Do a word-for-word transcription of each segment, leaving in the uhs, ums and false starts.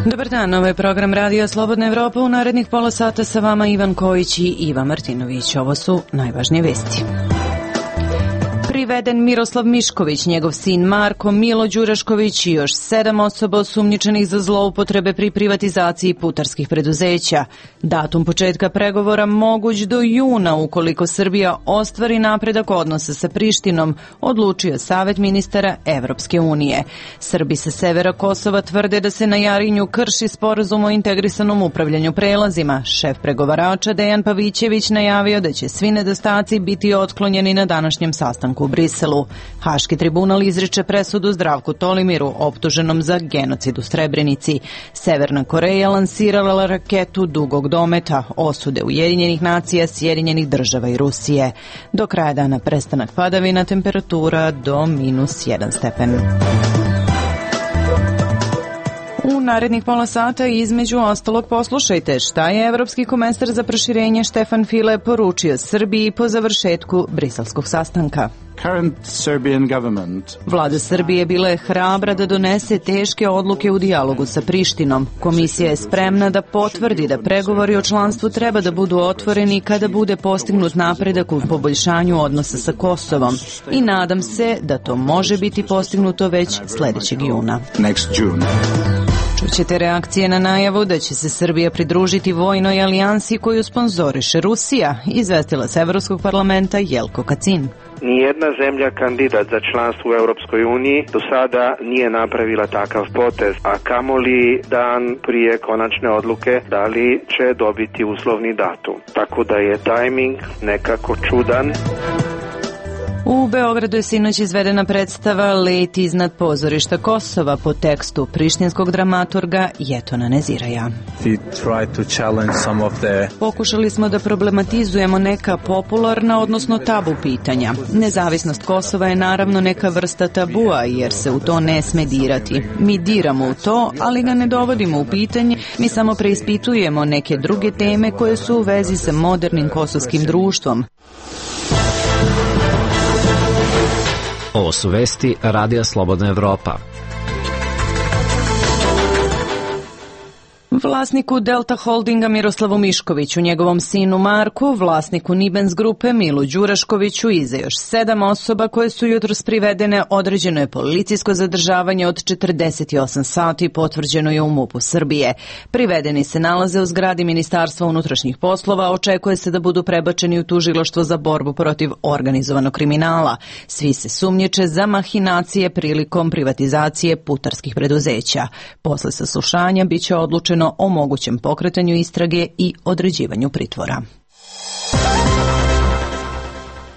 Dobar dan, ovo je program Radija Slobodna Evropa. U narednih pola sata sa vama Ivan Kojić i Iva Martinović. Ovo su najvažnije vesti. Priveden Miroslav Mišković, njegov sin Marko, Milo Đurašković i još sedam osoba osumnjičenih za zloupotrebe pri privatizaciji putarskih preduzeća. Datum početka pregovora moguć do juna ukoliko Srbija ostvari napredak odnosa sa Prištinom, odlučio Savet ministara Evropske unije. Srbi sa severa Kosova tvrde da se na Jarinju krši sporazum o integrisanom upravljanju prelazima. Šef pregovarača Dejan Pavićević najavio da će svi nedostaci biti otklonjeni na današnjem sastanku u Briselu. Haški tribunal izriče presudu Zdravku Tolimiru, optuženom za genocid u Srebrenici. Severna Koreja lansirala raketu dugog dometa, osude Ujedinjenih nacija, Sjedinjenih država i Rusije. Do kraja dana prestanak padavina, temperatura do minus jedan stepen. U narednih pola sata između ostalog poslušajte šta je Evropski komesar za proširenje Štefan File poručio Srbiji po završetku briselskog sastanka. Vlada Srbije bila je hrabra da donese teške odluke u dijalogu sa Prištinom. Komisija je spremna da potvrdi da pregovori o članstvu treba da budu otvoreni kada bude postignut napredak u poboljšanju odnosa sa Kosovom i nadam se da to može biti postignuto već sledećeg juna. Čućete reakcije na najavu da će se Srbija pridružiti vojnoj alijansi koju sponzoriše Rusija, izvestila s Evropskog parlamenta Jelko Kacin. Nijedna zemlja kandidat za članstvo u Europskoj uniji do sada nije napravila takav potez, a kamoli dan prije konačne odluke da li će dobiti uslovni datum. Tako da je tajming nekako čudan. U Beogradu je sinoć izvedena predstava Let iznad pozorišta Kosova po tekstu prištinskog dramaturga Jetona Neziraja. Pokušali smo da problematizujemo neka popularna, odnosno tabu pitanja. Nezavisnost Kosova je naravno neka vrsta tabua, jer se u to ne sme dirati. Mi diramo u to, ali ga ne dovodimo u pitanje, mi samo preispitujemo neke druge teme koje su u vezi sa modernim kosovskim društvom. Ovo su vesti Radija Slobodna Evropa. Vlasniku Delta Holdinga Miroslavu Miškoviću, njegovom sinu Marku, vlasniku Nibens grupe Milu Đuraškoviću i za još sedam osoba koje su jutros privedene određeno je policijsko zadržavanje od četrdeset osam sati, potvrđeno je u MUP-u Srbije. Privedeni se nalaze u zgradi Ministarstva unutrašnjih poslova, očekuje se da budu prebačeni u tužilaštvo za borbu protiv organizovanog kriminala. Svi se sumnjiče za mahinacije prilikom privatizacije putarskih preduzeća. Posle saslušanja biće odlučeno o mogućem pokretanju istrage i određivanju pritvora.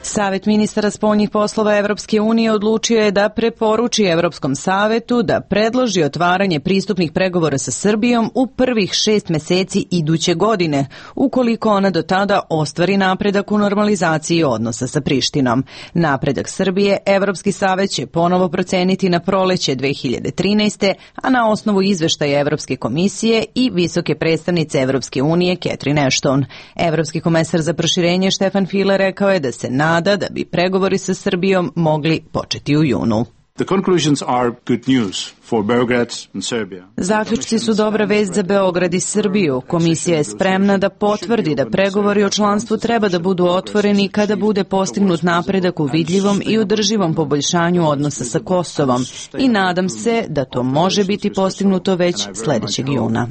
Savet ministara spoljnih poslova Evropske unije odlučio je da preporuči Evropskom savetu da predloži otvaranje pristupnih pregovora sa Srbijom u prvih šest meseci iduće godine, ukoliko ona do tada ostvari napredak u normalizaciji odnosa sa Prištinom. Napredak Srbije Evropski savet će ponovo proceniti na proleće dve hiljade trinaeste. a na osnovu izveštaja Evropske komisije i visoke predstavnice Evropske unije Catherine Ashton. Evropski komesar za proširenje Štefan File rekao je da se nada da bi pregovori sa Srbijom mogli početi u junu. Zaključci su dobra vest za Beograd i Srbiju. Komisija je spremna da potvrdi da pregovori o članstvu treba da budu otvoreni kada bude postignut napredak u vidljivom i održivom poboljšanju odnosa sa Kosovom i nadam se da to može biti postignuto već sledećeg juna.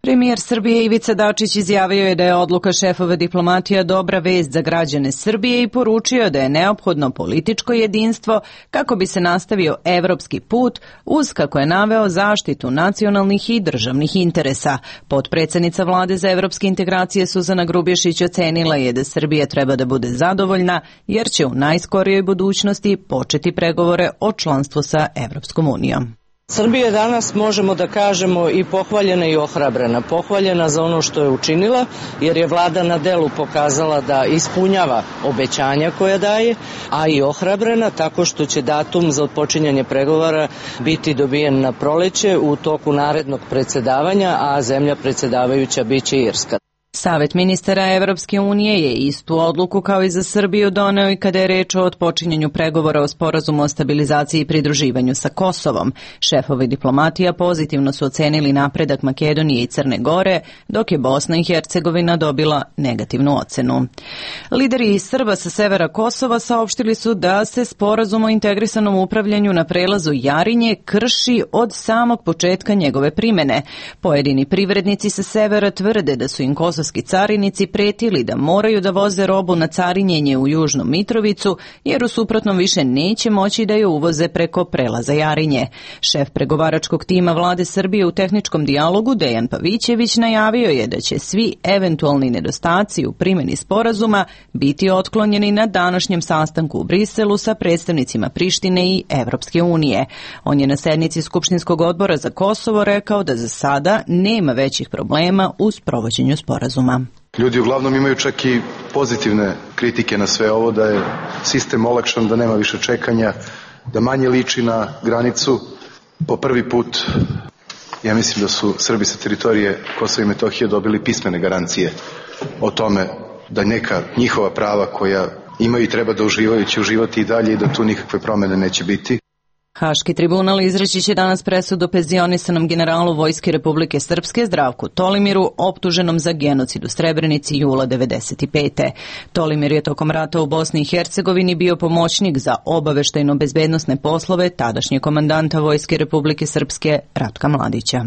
Premijer Srbije Ivica Dačić izjavio je da je odluka šefova diplomatija dobra vest za građane Srbije i poručio da je neophodno političko jedinstvo kako bi se nastavio evropski put uz, kako je naveo, zaštitu nacionalnih i državnih interesa. Potpredsednica Vlade za evropske integracije Suzana Grubješić ocenila je da Srbija treba da bude zadovoljna jer će u najskorijoj budućnosti početi pregovore o članstvu sa Evropskom unijom. Srbija danas, možemo da kažemo, i pohvaljena i ohrabrena. Pohvaljena za ono što je učinila, jer je vlada na delu pokazala da ispunjava obećanja koja daje, a i ohrabrena tako što će datum za otpočinjanje pregovora biti dobijen na proleće u toku narednog predsedavanja, a zemlja predsedavajuća biće Irska. Savet ministara Evropske unije je istu odluku kao i za Srbiju doneo i kada je reč o otpočinjanju pregovora o sporazumu o stabilizaciji i pridruživanju sa Kosovom. Šefovi diplomatija pozitivno su ocenili napredak Makedonije i Crne Gore, dok je Bosna i Hercegovina dobila negativnu ocenu. Lideri Srba sa severa Kosova saopštili su da se sporazum o integrisanom upravljanju na prelazu Jarinje krši od samog početka njegove primene. Pojedini privrednici sa severa tvrde da su im kosovski carinici pretili da moraju da voze robu na carinjenje u Južnu Mitrovicu, jer u suprotnom više neće moći da je uvoze preko prelaza Jarinje. Šef pregovaračkog tima vlade Srbije u tehničkom dijalogu Dejan Pavićević najavio je da će svi eventualni nedostaci u primjeni sporazuma biti otklonjeni na današnjem sastanku u Briselu sa predstavnicima Prištine i Evropske unije. On je na sednici Skupštinskog odbora za Kosovo rekao da za sada nema većih problema u sprovođenju sporazuma. Ljudi uglavnom imaju čak i pozitivne kritike na sve ovo, da je sistem olakšan, da nema više čekanja, da manje liči na granicu. Po prvi put, ja mislim da su Srbi sa teritorije Kosova i Metohije dobili pismene garancije o tome da neka njihova prava koja imaju i treba da uživaju će uživati i dalje i da tu nikakve promene neće biti. Haški tribunal izreći će danas presudu penzionisanom generalu Vojske Republike Srpske Zdravku Tolimiru, optuženom za genocid u Srebrenici jula devedeset pete. Tolimir je tokom rata u Bosni i Hercegovini bio pomoćnik za obaveštajno-bezbednosne poslove tadašnjeg komandanta Vojske Republike Srpske Ratka Mladića.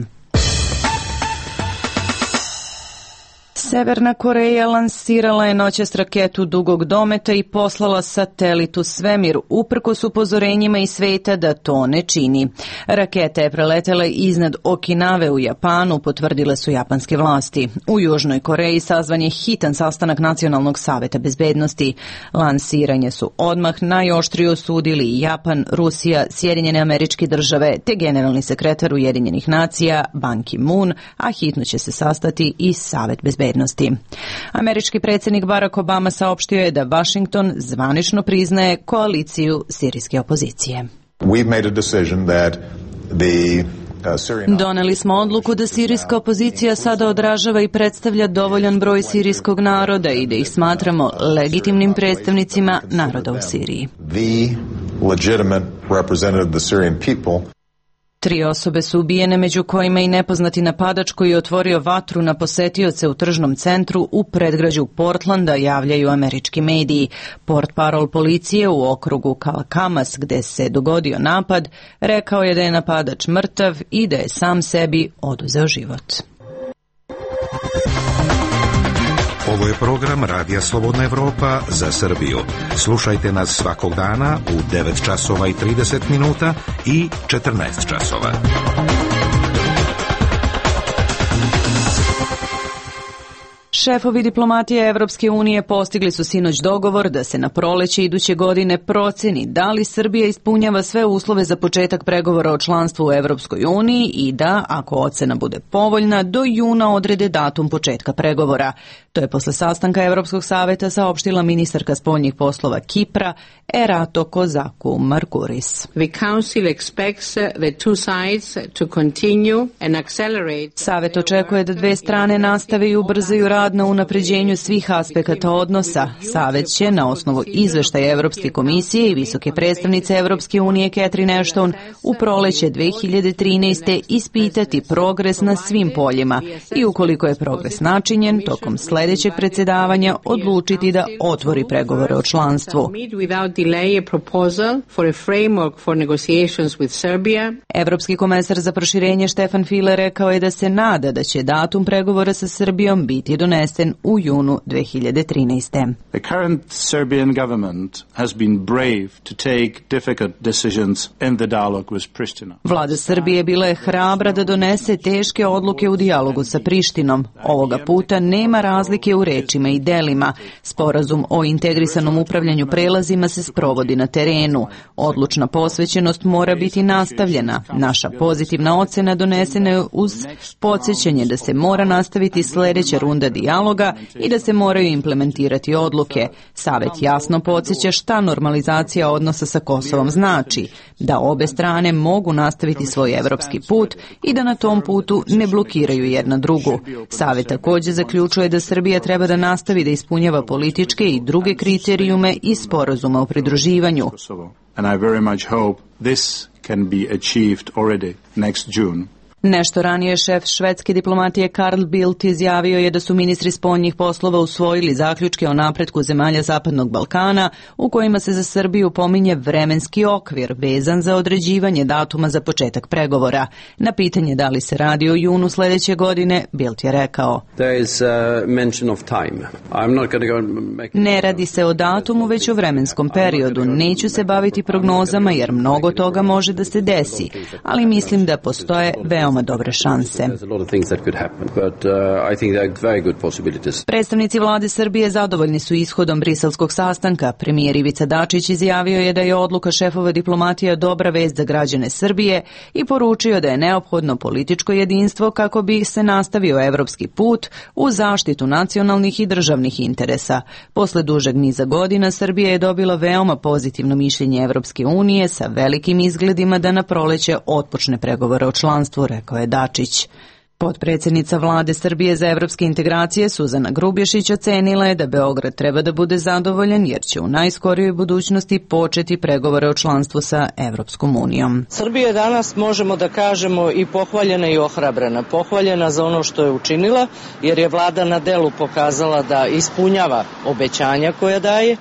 Severna Koreja lansirala je noćas raketu dugog dometa i poslala satelit u svemir, uprkos upozorenjima iz sveta da to ne čini. Raketa je preletela iznad Okinave u Japanu, potvrdile su japanske vlasti. U Južnoj Koreji sazvan je hitan sastanak Nacionalnog saveta bezbednosti. Lansiranje su odmah najoštrije osudili Japan, Rusija, Sjedinjene Američke Države te generalni sekretar Ujedinjenih nacija Ban Ki-moon, a hitno će se sastati i Savet bezbednosti. Američki predsjednik Barack Obama saopštio je da Washington zvanično priznaje koaliciju sirijske opozicije. Doneli smo odluku da sirijska opozicija sada odražava i predstavlja dovoljan broj sirijskog naroda i da ih smatramo legitimnim predstavnicima naroda u Siriji. Tri osobe su ubijene, među kojima i nepoznati napadač koji je otvorio vatru na posetioce u tržnom centru u predgrađu Portlanda, javljaju američki mediji. Portparol policije u okrugu Kalkamas, gde se dogodio napad, rekao je da je napadač mrtav i da je sam sebi oduzeo život. Ovo je program Radija Slobodna Evropa za Srbiju. Slušajte nas svakog dana u devet časova i trideset minuta i četrnaest časova. Šefovi diplomatije Evropske unije postigli su sinoć dogovor da se na proleće iduće godine proceni da li Srbija ispunjava sve uslove za početak pregovora o članstvu u Evropskoj uniji i da, ako ocena bude povoljna, do juna odrede datum početka pregovora. To je posle sastanka Evropskog saveta saopštila ministarka spoljnih poslova Kipra Erato Kozaku Markuris. Savet očekuje da dve strane nastave i ubrzaju rad na unapređenju svih aspekata odnosa. Savet će, na osnovu izveštaja Evropske komisije i visoke predstavnice Evropske unije Catherine Ashton, u proleće dve hiljade trinaeste. ispitati progres na svim poljima i ukoliko je progres načinjen, tokom sledećeg predsjedavanja odlučiti da otvori pregovore o članstvu. Evropski komesar za proširenje Štefan File rekao je da se nada da će datum pregovora sa Srbijom biti donesen u junu dve hiljade trinaeste. The current Serbian government has been brave to take difficult decisions in the dialogue with Pristina. Vlada Srbije bila je hrabra da donese teške odluke u dijalogu sa Prištinom. Ovoga puta nema razlike u rečima i delima. Sporazum o integrisanom upravljanju prelazima se sprovodi na terenu. Odlučna posvećenost mora biti nastavljena. Naša pozitivna ocena donesena je uz podsjećanje da se mora nastaviti sledeća runda dijaloga dijaloga i da se moraju implementirati odluke. Savet jasno podsjeća šta normalizacija odnosa sa Kosovom znači, da obe strane mogu nastaviti svoj evropski put i da na tom putu ne blokiraju jedna drugu. Savet također zaključuje da Srbija treba da nastavi da ispunjava političke i druge kriterijume iz sporazuma o pridruživanju. And I very much hope this can be achieved already next June. Nešto ranije šef švedske diplomatije Carl Bildt izjavio je da su ministri spoljnih poslova usvojili zaključke o napretku zemalja Zapadnog Balkana u kojima se za Srbiju pominje vremenski okvir vezan za određivanje datuma za početak pregovora. Na pitanje da li se radi o junu sljedeće godine, Bildt je rekao: Ne radi se o datumu, već o vremenskom periodu. Neću se baviti prognozama jer mnogo toga može da se desi, ali mislim da postoje veoma dobre šanse. Predstavnici vlade Srbije zadovoljni su ishodom briselskog sastanka. Premijer Ivica Dačić izjavio je da je odluka šefova diplomatija dobra vest za građane Srbije i poručio da je neophodno političko jedinstvo kako bi se nastavio evropski put u zaštitu nacionalnih i državnih interesa. Posle dužeg niza godina Srbija je dobila veoma pozitivno mišljenje Evropske unije sa velikim izgledima da na proleće otpočne pregovore o članstvu, rekao je Dačić. Potpredsjednica vlade Srbije za evropske integracije Suzana Grubješić ocenila je da Beograd treba da bude zadovoljan jer će u najskorijoj budućnosti početi pregovore o članstvu sa Evropskom unijom. Srbija je danas, možemo da kažemo, i pohvaljena i ohrabrena. Pohvaljena za ono što je učinila jer je vlada na delu pokazala da ispunjava obećanja koja daje,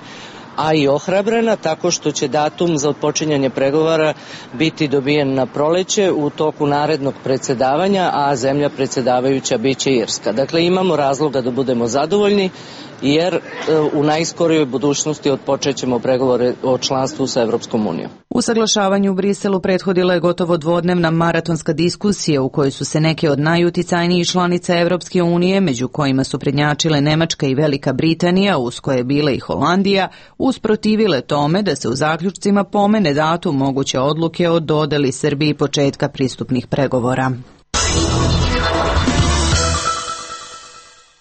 a i ohrabrena tako što će datum za otpočinjanje pregovora biti dobijen na proleće u toku narednog predsjedavanja, a zemlja predsjedavajuća biće Irska. Dakle, imamo razloga da budemo zadovoljni jer u najskorijoj budućnosti otpočećemo pregovore o članstvu sa Evropskom unijom. Usaglašavanju u Briselu prethodila je gotovo dvodnevna maratonska diskusija u kojoj su se neke od najuticajnijih članica Evropske unije, među kojima su prednjačile Nemačka i Velika Britanija, uz koje je bila i Holandija, usprotivile tome da se u zaključcima pomene datum moguće odluke o dodeli Srbiji početka pristupnih pregovora.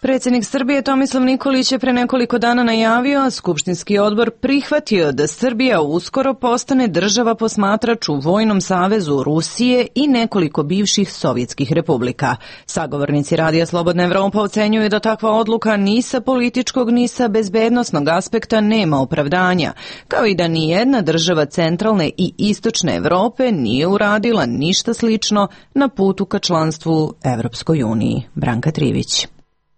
Predsjednik Srbije Tomislav Nikolić je pre nekoliko dana najavio, a Skupštinski odbor prihvatio da Srbija uskoro postane država posmatrač u Vojnom savezu Rusije i nekoliko bivših sovjetskih republika. Sagovornici Radija Slobodna Evropa ocenjuju da takva odluka ni sa političkog ni sa bezbednosnog aspekta nema opravdanja, kao i da ni jedna država centralne i istočne Evrope nije uradila ništa slično na putu ka članstvu Evropskoj uniji. Branka Trivić.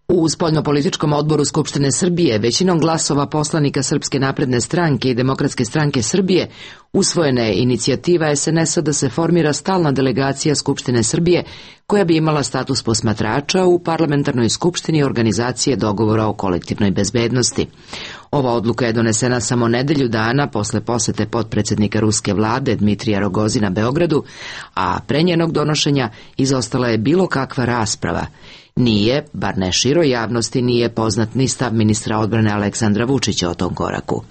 U spoljnopolitičkom odboru Skupštine Srbije većinom glasova poslanika Srpske napredne stranke i Demokratske stranke Srbije usvojena je inicijativa es en es a da se formira stalna delegacija Skupštine Srbije koja bi imala status posmatrača u parlamentarnoj skupštini organizacije dogovora o kolektivnoj bezbednosti. Ova odluka je donesena samo nedelju dana posle posete potpredsjednika ruske vlade Dmitrija Rogozina Beogradu, a pre njenog donošenja izostala je bilo kakva rasprava. Nije, bar ne široj javnosti, nije poznat ni stav ministra odbrane Aleksandra Vučića o tom koraku.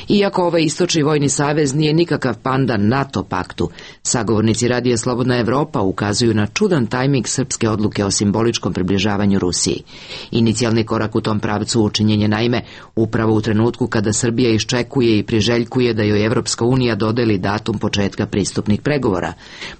Iako ovaj istočni vojni savez nije nikakav pandan NATO paktu, sagovornici Radija Slobodna Evropa ukazuju na čudan tajming srpske odluke o simboličkom približavanju Rusiji. Inicijalni korak u tom pravcu učinjen je naime upravo u trenutku kada Srbija iščekuje i priželjkuje da joj Evropska unija dodeli datum početka pristupnih pregovora.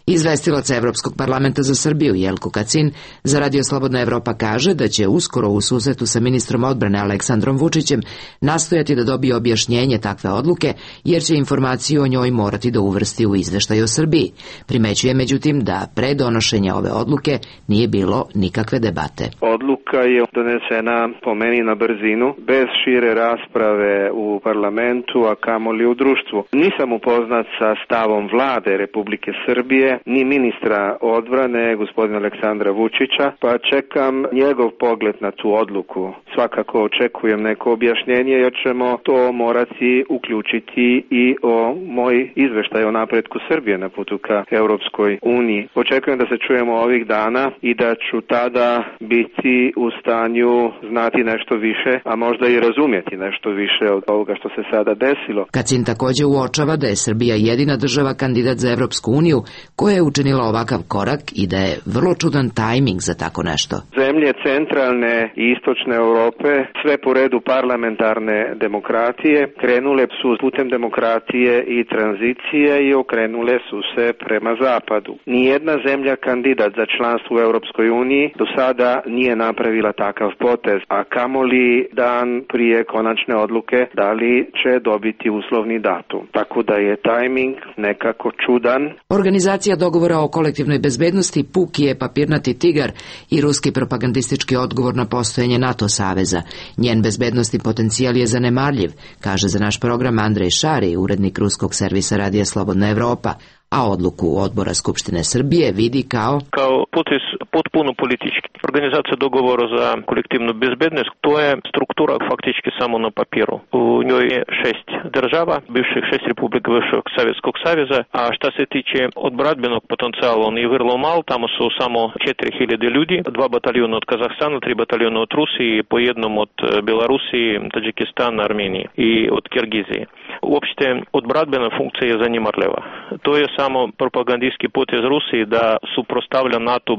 Izvestilac Evropskog parlamenta za Srbiju Jelko Kacin za Radio Slobodna Evropa kaže da će uskoro u susretu sa ministrom odbrane Aleksandrom Vučićem nastojati da dobije objašnjenje takve odluke, jer će informaciju o njoj morati da uvrsti u izveštaj o Srbiji. Primećuje međutim da pre donošenja ove odluke nije bilo nikakve debate. Odluka je donesena po meni na brzinu, bez šire rasprave u parlamentu, a kamoli u društvu. Nisam upoznat sa stavom vlade Republike Srbije, ni ministra odbrane, gospodina Aleksandra Vučića, pa čekam njegov pogled na tu odluku. Svakako očekujem neko objašnjenje, jer ćemo to morati uključiti i o moj izveštaj o napretku Srbije na putu ka Europskoj uniji. Očekujem da se čujemo ovih dana i da ću tada biti u stanju znati nešto više, a možda i razumjeti nešto više od ovoga što se sada desilo. Kacin također uočava da je Srbija jedina država kandidat za Europsku uniju koja je učinila ovakav korak i da je vrlo čudan tajming za tako nešto. Zemlje centralne i istočne Europe, sve po redu parlamentarne demokratije, krenule su putem demokratije i tranzicije i okrenule su se prema zapadu. Nijedna zemlja kandidat za članstvo u Europskoj uniji do sada nije napravila takav potez, a kamoli dan prije konačne odluke da li će dobiti uslovni datum. Tako da je tajming nekako čudan. Organizacija dogovora o kolektivnoj bezbednosti puki je papirnati tigar i ruski propagandistički odgovor na postojanje NATO saveza. Njen bezbednostni potencijal je zanemarljiv, kaže za naš program Andrej Šari, urednik ruskog servisa Radija Slobodna Evropa, a odluku Odbora Skupštine Srbije vidi kao kao potez potpuno politički. Organizacija dogovora za kolektivnu bezbednost, to je struktura faktički samo na papiru. U njoj je šest država, bivših šest republika bivšeg Sovjetskog saveza, a šta se tiče odbranbenog potencijala, on je vrlo mal, tamo su samo četiri hiljade ljudi, dva bataljona od Kazahstana, tri bataljona od Rusije, po jednom od Belorusije, Tadžikistana, Armenije i od Kirgizije. Uopšte, odbranbena funkcija je zanemarljiva. To je samo propagandijski potez Rusiji da suprostavlja NATO.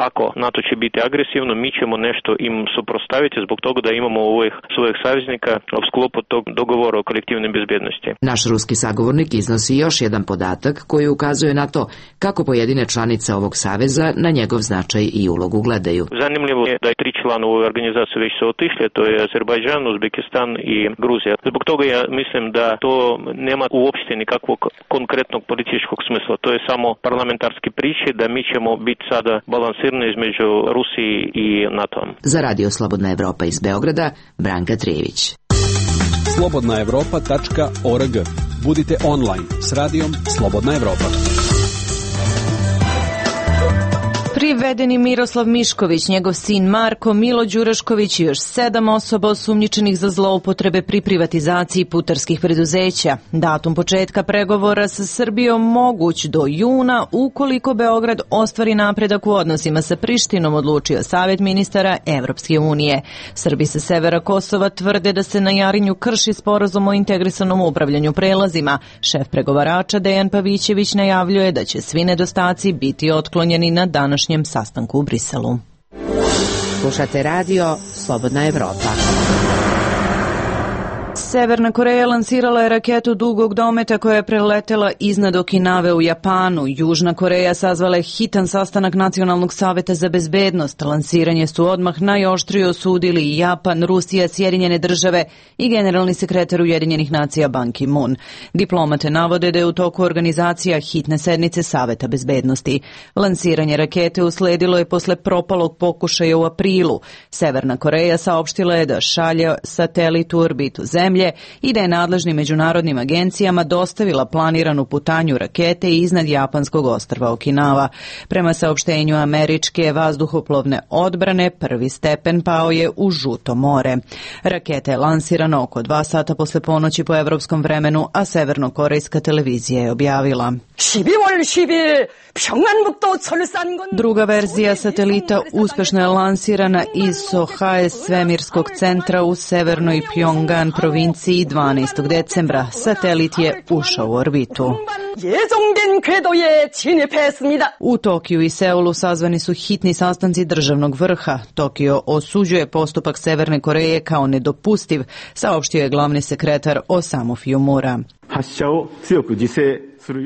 Ako NATO će biti agresivno, mi ćemo nešto im suprostaviti zbog toga da imamo ovih svojih saveznika u sklopu tog dogovora o kolektivnoj bezbednosti. Naš ruski sagovornik iznosi još jedan podatak koji ukazuje na to kako pojedine članice ovog saveza na njegov značaj i ulogu gledaju. Zanimljivo je da je tri člana ove organizacije već su otišli, to je Azerbajdžan, Uzbekistan i Gruzija. Zbog toga ja mislim da to nema uopšte nikakvog konkretnog političkog smisla. To je samo parlamentarski priče da mi ćemo biti sada balansirani između Rusiji i NATO-om. Za Radio Slobodna Evropa iz Beograda, Branka Trijević. slobodna evropa tačka org. Budite online s radijom Slobodna Evropa. Privedeni Miroslav Mišković, njegov sin Marko, Milo Đurašković i još sedam osoba osumnjičenih za zloupotrebe pri privatizaciji putarskih preduzeća. Datum početka pregovora sa Srbijom moguć do juna ukoliko Beograd ostvari napredak u odnosima sa Prištinom, odlučio Savet ministara Evropske unije. Srbi sa severa Kosova tvrde da se na Jarinju krši sporazum o integrisanom upravljanju prelazima. Šef pregovarača Dejan Pavićević najavljuje da će svi nedostaci biti otklonjeni na današnji sastanku u Briselu. Slušate radio Slobodna Evropa. Severna Koreja lansirala je raketu dugog dometa koja je preletela iznad Okinave u Japanu. Južna Koreja sazvala je hitan sastanak Nacionalnog saveta za bezbednost. Lansiranje su odmah najoštrije osudili i Japan, Rusija, Sjedinjene države i generalni sekretar Ujedinjenih nacija Ban Ki-moon. Diplomate navode da je u toku organizacija hitne sednice Saveta bezbednosti. Lansiranje rakete usledilo je posle propalog pokušaja u aprilu. Severna Koreja saopštila je da šalje satelit u orbitu Zemlje i da je nadležnim međunarodnim agencijama dostavila planiranu putanju rakete iznad japanskog ostrva Okinawa. Prema saopštenju američke vazduhoplovne odbrane, prvi stepen pao je u Žuto more. Raketa je lansirana oko dva sata posle ponoći po evropskom vremenu, a severnokorejska televizija je objavila. Druga verzija satelita uspešno je lansirana iz Sohae svemirskog centra u severnoj Pjongan provinciji dvanaestog decembra. Satelit je ušao u orbitu. U Tokiju i Seulu sazvani su hitni sastanci državnog vrha. Tokio osuđuje postupak Severne Koreje kao nedopustiv, saopštio je glavni sekretar Osamu Fiumura.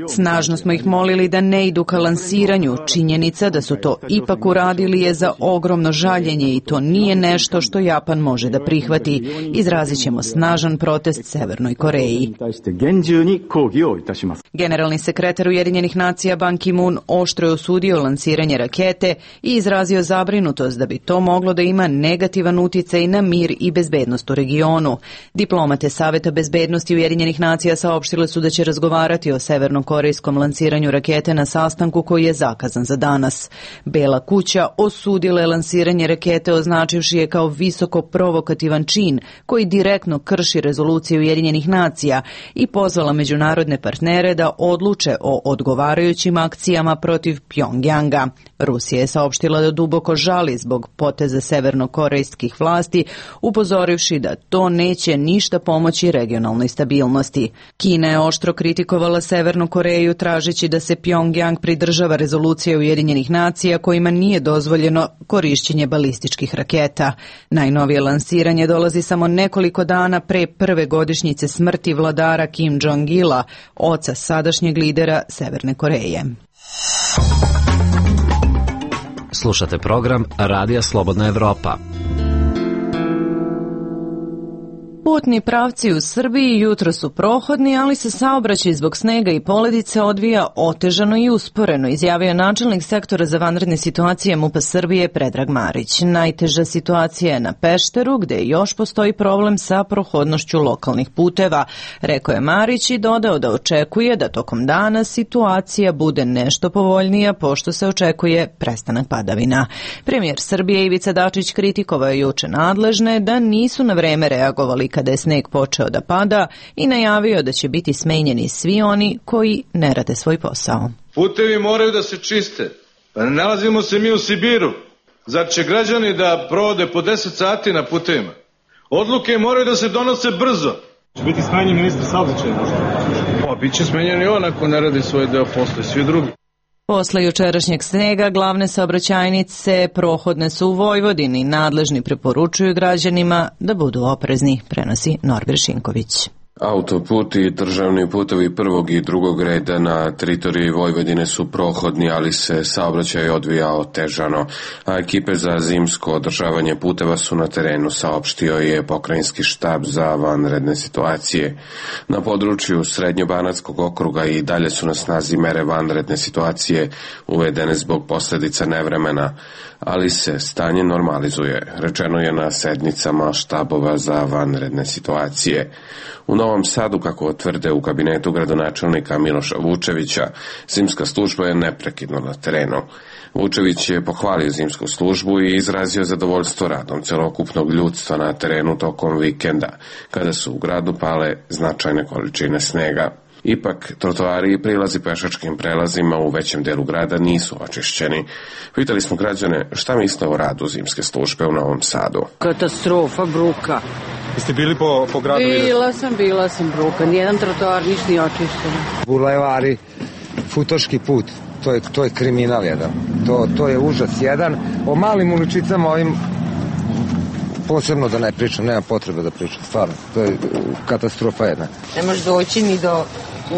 Snažno smo ih molili da ne idu ka lansiranju. Činjenica da su to ipak uradili je za ogromno žaljenje i to nije nešto što Japan može da prihvati. Izrazit ćemo snažan protest Severnoj Koreji. Generalni sekretar Ujedinjenih nacija Ban Ki-moon oštro je osudio lansiranje rakete i izrazio zabrinutost da bi to moglo da ima negativan uticaj na mir i bezbednost u regionu. Diplomate Saveta bezbednosti Ujedinjenih nacija saopštile su da će razgovarati o severnokorejskom lansiranju rakete na sastanku koji je zakazan za danas. Bela kuća osudila je lansiranje rakete, označivši je kao visoko provokativan čin koji direktno krši rezoluciju Ujedinjenih nacija i pozvala međunarodne partnere da odluče o odgovarajućim akcijama protiv Pjongjanga. Rusija je saopštila da duboko žali zbog poteza severnokorejskih vlasti, upozorivši da to neće ništa pomoći regionalnoj stabilnosti. Kina je oštro kritikovala severno Severnu Koreju tražeći da se Pjongjang pridržava rezolucije Ujedinjenih nacija kojima nije dozvoljeno korišćenje balističkih raketa. Najnovije lansiranje dolazi samo nekoliko dana pre prve godišnjice smrti vladara Kim Jong-ila, oca sadašnjeg lidera Severne Koreje. Slušate program Radija Slobodna Evropa. Putni pravci u Srbiji jutro su prohodni, ali se saobraćaj zbog snega i poledice odvija otežano i usporeno, izjavio načelnik sektora za vanredne situacije MUP-a Srbije Predrag Marić. Najteža situacija je na Pešteru, gde još postoji problem sa prohodnošću lokalnih puteva, rekao je Marić i dodao da očekuje da tokom dana situacija bude nešto povoljnija, pošto se očekuje prestanak padavina. Premijer Srbije Ivica Dačić kritikovao je juče nadležne da nisu na vreme reagovali kada je sneg počeo da pada i najavio da će biti smenjeni svi oni koji ne rade svoj posao. Putevi moraju da se čiste. Pa ne nalazimo se mi u Sibiru. Zar će građani da provode po deset sati na putevima? Odluke moraju da se donose brzo. Će biti smenjen ministar saobraćaja možda? Pa, bit će smenjen i on ako ne radi svoj deo posla i svi drugi. Posle jučerašnjeg snega glavne saobraćajnice prohodne su u Vojvodini. Nadležni preporučuju građanima da budu oprezni, prenosi Norbert Šinković. Autoput i državni putovi prvog i drugog reda na teritoriji Vojvodine su prohodni, ali se saobraćaj odvija otežano, a ekipe za zimsko održavanje puteva su na terenu, saopštio je pokrajinski štab za vanredne situacije. Na području Srednjobanatskog okruga i dalje su na snazi mere vanredne situacije uvedene zbog posljedica nevremena, ali se stanje normalizuje, rečeno je na sednicama štabova za vanredne situacije. U Novom Sadu, kako tvrde u kabinetu gradonačelnika Miloša Vučevića, zimska služba je neprekidno na terenu. Vučević je pohvalio zimsku službu i izrazio zadovoljstvo radom celokupnog ljudstva na terenu tokom vikenda, kada su u gradu pale značajne količine snega. Ipak, trotoari i prilazi pešačkim prelazima u većem delu grada nisu očišćeni. Pitali smo građane šta misle o radu zimske službe u Novom Sadu. Katastrofa, bruka. Jeste bili po, po gradu? Bila sam, bila sam bruka. Nijedan trotoar, ništa nije očišćen. Bulevari, Futoški put, to je, to je kriminal jedan. To, to je užas jedan. O malim uličicama ovim posebno da ne pričam, nema potrebe da pričam, stvarno. To je katastrofa jedna. Ne možeš doći ni do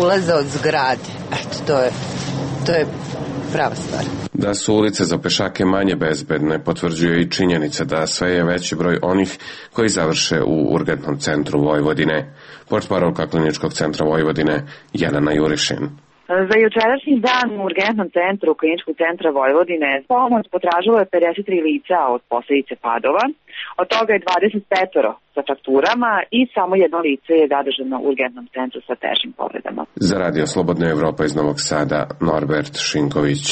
ulaza od zgrade. Eto, to je, to je prava stvar. Da su ulice za pešake manje bezbedne, potvrđuje i činjenica da sve je veći broj onih koji završe u urgentnom centru Vojvodine. Portparolka Kliničkog centra Vojvodine Jelena Jurišin. Za jučerašnji dan u urgentnom centru Kliničkog centra Vojvodine pomoć potražilo je pedeset tri lica od posljedice padova. Od toga je dvadeset pet sa frakturama i samo jedno lice je zadržano u urgentnom centru sa teškim povredama. Za Radio Slobodna Evropa iz Novog Sada, Norbert Šinković.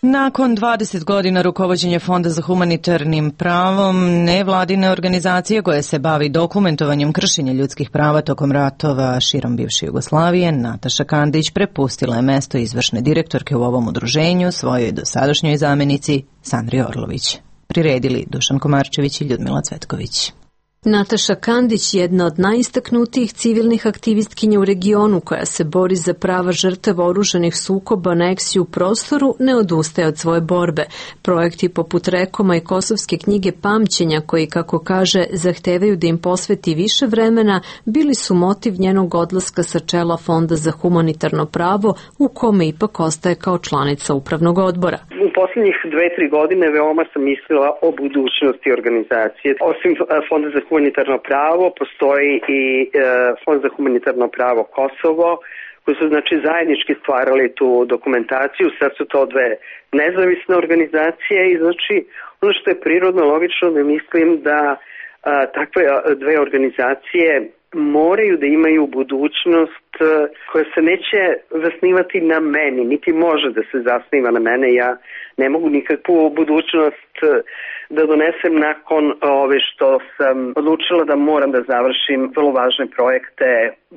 Nakon dvadeset godina rukovođenja Fonda za humanitarnim pravom, nevladine organizacije koje se bavi dokumentovanjem kršenja ljudskih prava tokom ratova širom bivše Jugoslavije, Nataša Kandić prepustila je mesto izvršne direktorke u ovom udruženju svojoj dosadašnjoj zamenici Sandri Orlović. Priredili Dušan Komarčević i Ljudmila Cvetković. Nataša Kandić, jedna od najistaknutijih civilnih aktivistkinja u regionu koja se bori za prava žrtava oružanih sukoba, aneksiju u prostoru, ne odustaje od svoje borbe. Projekti poput Rekoma i Kosovske knjige pamćenja, koji, kako kaže, zahtevaju da im posveti više vremena, bili su motiv njenog odlaska sa čela Fonda za humanitarno pravo, u kome ipak ostaje kao članica upravnog odbora. U posljednjih dve, tri godine veoma sam mislila o budućnosti organizacije. Osim Fonda za humanitarno pravo, postoji i e, Fond za humanitarno pravo Kosovo, koji su znači zajednički stvarali tu dokumentaciju. Sad su to dve nezavisne organizacije i znači ono što je prirodno, logično, ne mislim da a, takve dve organizacije moraju da imaju budućnost koja se neće zasnivati na meni, niti može da se zasniva na mene. Ja ne mogu nikakvu budućnost da donesem nakon ove što sam odlučila da moram da završim vrlo važne projekte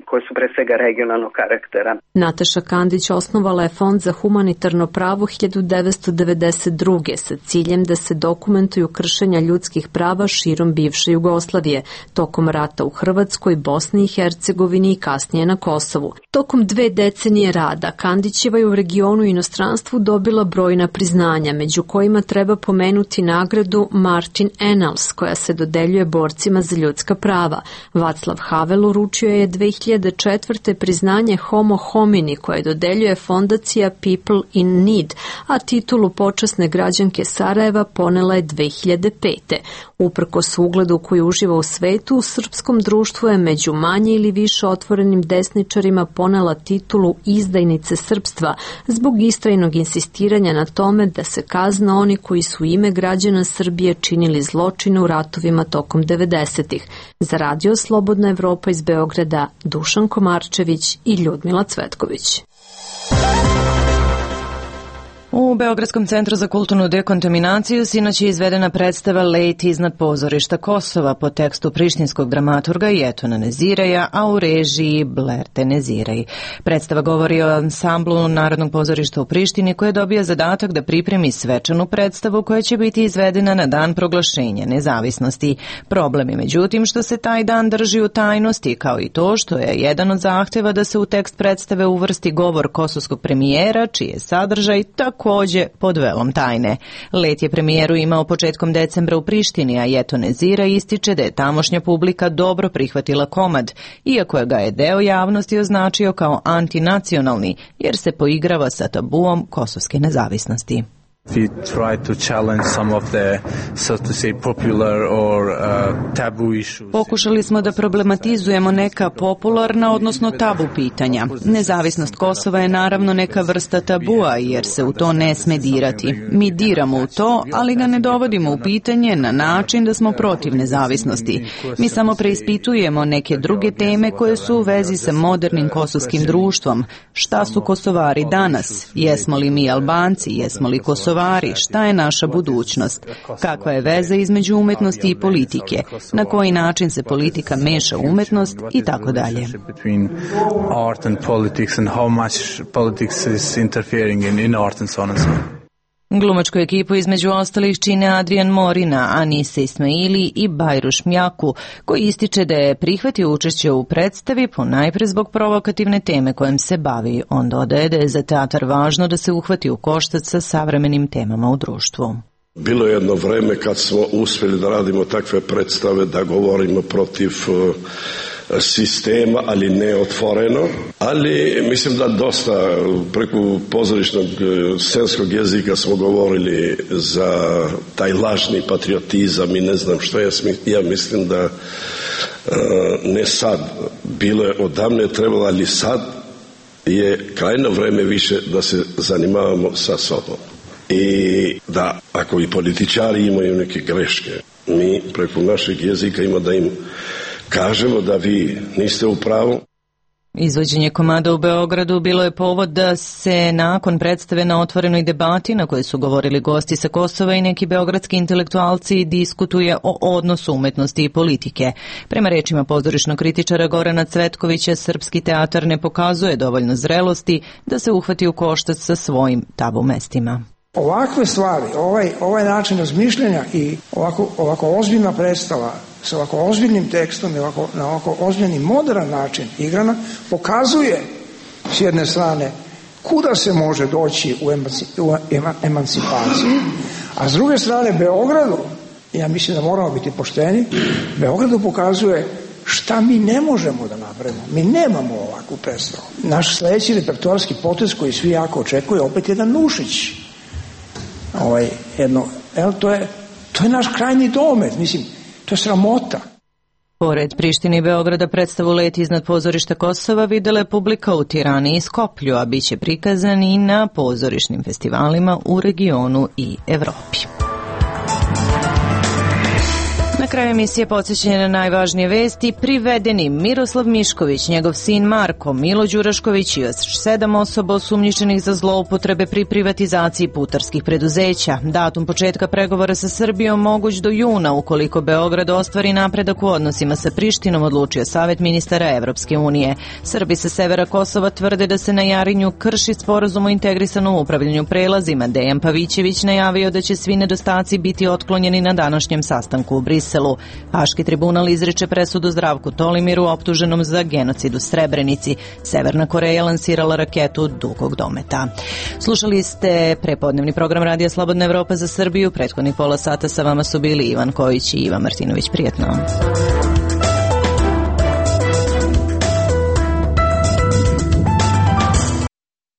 koji su pre svega regionalnog karaktera. Nataša Kandić osnovala je Fond za humanitarno pravo hiljadu devetsto devedeset druge sa ciljem da se dokumentuju kršenja ljudskih prava širom bivše Jugoslavije. Tokom rata u Hrvatskoj, Bosni i Hercegovini i kasnije na Kosovu. Tokom dve decenije rada Kandićeva je u regionu i inostranstvu dobila brojna priznanja, među kojima treba pomenuti nagradu Martin Ennals, koja se dodeljuje borcima za ljudska prava. Václav Havel uručio je dve hiljade četvrte priznanje Homo homini, koje dodeljuje fondacija People in Need, a titulu počasne građanke Sarajeva ponela je dve hiljade pete. Uprkos ugledu koji uživa u svetu, u srpskom društvu je među manje ili više otvorenim desničarima ponela titulu izdajnice srpstva zbog istrajnog insistiranja na tome da se kazna oni koji su ime građana Srbije činili zločine u ratovima tokom devedesetih. Za Radio Slobodna Evropa iz Beograda, Dušan Komarčević i Ljudmila Cvetković. U Beogradskom centru za kulturnu dekontaminaciju sinoć je izvedena predstava Let iznad pozorišta Kosova po tekstu prištinskog dramaturga Jetona Nezireja, a u režiji Blerte Neziraj. Predstava govori o ansamblu Narodnog pozorišta u Prištini koji je dobio zadatak da pripremi svečanu predstavu koja će biti izvedena na dan proglašenja nezavisnosti. Problem je međutim što se taj dan drži u tajnosti, kao i to što je jedan od zahteva da se u tekst predstave uvrsti govor kosovskog premijera, čiji je sadržaj također pod velom tajne. Let je premijeru imao početkom decembra u Prištini, a Jeton Neziraj ističe da je tamošnja publika dobro prihvatila komad, iako je ga je deo javnosti označio kao antinacionalni, jer se poigrava sa tabuom kosovske nezavisnosti. We try to challenge some of the, so to say, popular or uh, taboo issues. Pokušali smo da problematizujemo neka popularna, odnosno tabu pitanja. Nezavisnost Kosova je naravno neka vrsta tabua, jer se u to ne sme dirati. Mi diramo u to, ali ga ne dovodimo u pitanje na način da smo protiv nezavisnosti. Mi samo preispitujemo neke druge teme koje su u vezi sa modernim kosovskim društvom. Šta su Kosovari danas? Jesmo li mi Albanci? Jesmo li Kosovari? Šta je naša budućnost? Kakva je veza između umetnosti i politike? Na koji način se politika meša u umetnost i tako dalje. Glumačku ekipu između ostalih čine Adrian Morina, Anise Ismaili i Bajruš Mjaku, koji ističe da je prihvatio učešće u predstavi ponajpre zbog provokativne teme kojom se bavi. On dodaje da je za teatar važno da se uhvati u koštac sa savremenim temama u društvu. Bilo je jedno vreme kad smo uspjeli da radimo takve predstave, da govorimo protiv uh, sistema, ali ne otvoreno, ali mislim da dosta preko pozorišnog scenskog jezika smo govorili za taj lažni patriotizam i ne znam što. Ja, ja mislim da uh, ne sad, bilo je odavne trebalo, ali sad je krajno vreme više da se zanimavamo sa sobom. I da ako i političari imaju neke greške, mi preko našeg jezika ima da im kažemo da vi niste u pravu. Izvođenje komada u Beogradu bilo je povod da se nakon predstave na otvorenoj debati na kojoj su govorili gosti sa Kosova i neki beogradski intelektualci diskutuje o odnosu umetnosti i politike. Prema rečima pozorišnog kritičara Gorana Cvetkovića, srpski teatar ne pokazuje dovoljno zrelosti da se uhvati u koštac sa svojim tabu mestima. Ovakve stvari, ovaj, ovaj način razmišljanja i ovako, ovako ozbiljna predstava sa ovako ozbiljnim tekstom i ovako, na ovako ozbiljni modern način igrana pokazuje s jedne strane kuda se može doći u, emanci, u emancipaciji, a s druge strane Beogradu, ja mislim da moramo biti pošteni, Beogradu pokazuje šta mi ne možemo da napravimo. Mi nemamo ovakvu predstavu. Naš sledeći repertoarski potez koji svi jako očekuje opet jedan Nušić. Ovaj, jedno, el, to, je, to je naš krajnji domet, mislim, to je sramota. Pored Prištine i Beograda predstavu Let iznad pozorišta Kosova videla je publika u Tirani i Skoplju, a bit će prikazan i na pozorišnim festivalima u regionu i Evropi. Na kraju emisije podsjećanje na najvažnije vesti. Privedeni Miroslav Mišković, njegov sin Marko, Milo Đurašković i još sedam osoba osumnjičenih za zloupotrebe pri privatizaciji putarskih preduzeća. Datum početka pregovora sa Srbijom moguć do juna ukoliko Beograd ostvari napredak u odnosima sa Prištinom, odlučio Savet ministara Evropske unije. Srbi sa severa Kosova tvrde da se na Jarinju krši sporazum o integrisanom upravljanju prelazima. Dejan Pavićević najavio da će svi nedostaci biti otklonjeni na današnjem sastanku u Briselu. Briselu. Haški tribunal izriče presudu Zdravku Tolimiru optuženom za genocid u Srebrenici. Severna Koreja lansirala raketu dugog dometa. Slušali ste prepodnevni program Radija Slobodna Evropa za Srbiju. Prethodnih pola sata sa vama su bili Ivan Kojić i Ivan Martinović. Prijetno.